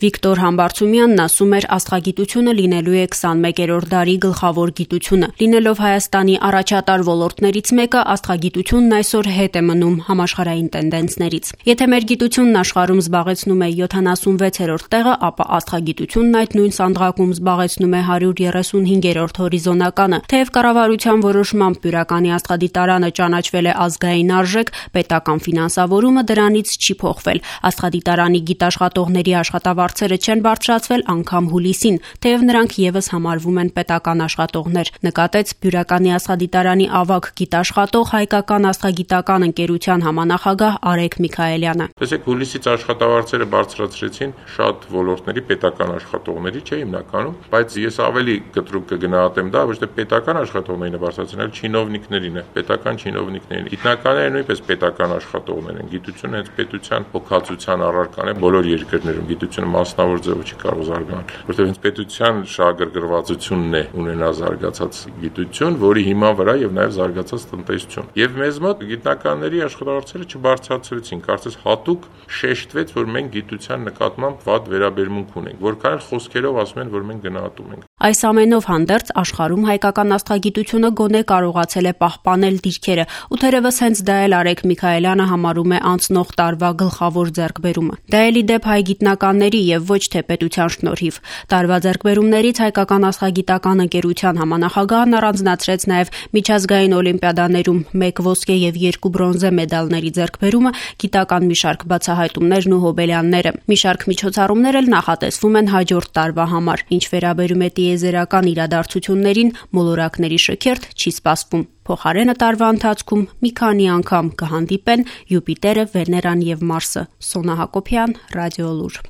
Վիկտոր Համբարձումյանն ասում էր, աստղագիտությունը լինելու է 21-րդ դարի գլխավոր գիտությունը։ Լինելով Հայաստանի առաջատար ոլորտներից մեկը, աստղագիտությունն այսօր հետ է մնում համաշխարհային տենդենսներից։ Եթե մեր գիտությունն աշխարհում զբաղեցնում է 76-րդ տեղը, ապա աստղագիտությունն այդ նույն սանդղակում զբաղեցնում է 135-րդ հորիզոնականը։ Թեև կառավարության որոշմամբ Բյուրականի աստղադիտարանը ճանաչվել է ազգային արժեք, պետական ֆինանսավորումը դրանից չի փոխվել։ Աստղադիտարանի գիտաշխատողների աշխատավարձերը չեն բարձրացվել անգամ հուլիսին, թեև նրանք ևս համարվում են պետական աշխատողներ, նկատեց Բյուրականի աստղադիտարանի ավագ գիտաշխատող Հայկական աստղագիտական ընկերության համանախագահ Արեգ Միքայելյանը։ Տեսեք, հուլիսից աշխատավարձերը բարձրացրեցին շատ ոլորտների պետական աշխատողների, չէ՞ հիմնականում, բայց ես ավելի կտրուկ կգնահատեմ դա, ոչ թե պետական աշխատողներին է բարձրացրել, այլ չինովնիկներին է, պետական չինովնիկներին։ Գիտնականները նույնպես պետական աշխատողներ են, գիտությունը հենց պետության հոգացության առարկան է բոլոր երկրներում, գիտությունը մասնավոր ձևով չի կարող զարգանալ, որտեղ հենց պետության շահագրգռվածությունն է ունենա զարգացած գիտություն, որի հիման վրա եւ նաեւ զարգացած տնտեսություն։ Եվ մեզ մոտ գիտնականների աշխատավարձերը չբարձրացրեցին, կարծես հատուկ շեշտվեց, որ մենք գիտության նկատմամբ վատ վերաբերմունք ունենք, որքան էլ խոսքերով ասում են, որ մենք գնահատում ենք։ Այս ամենով հանդերձ աշխարհում հայկական աստղագիտությունը գոնե կարողացել է պահպանել դիրքերը, ու թերևս հենց դա էլ Արեգ Միքայելյանը համարում է անցնող տարվա գլխավոր ձեռքբերումը։ Դա էլ ի դեպ հայ գիտնականների եւ ոչ թե պետության շնորհիվ։ Տարվա ձեռքբերումներից Հայկական աստղագիտական ընկերության համանախագահն առանձնացրեց նաեւ միջազգային օլիմպիադաներում 1 ոսկե եւ 2 բրոնզե մեդալների ձեռքբերումը, գիտական մի շարք բացահայտումներն ու հոբելյանները։ Մի շարք միջոցառումներ էլ նախատեսվում են հաջորդ տարվա համար։ Ինչ վերաբերում է տիեզերական իրադարձություններին, մոլորակների շքերթ չի սպասվում։ Փոխարենը տարվա ընթացքում մի քանի անգամ կհանդիպեն Յուպիտերը, Վեներան եւ Մարսը։ Սոնա Հակոբյան, Ռադիոլուր։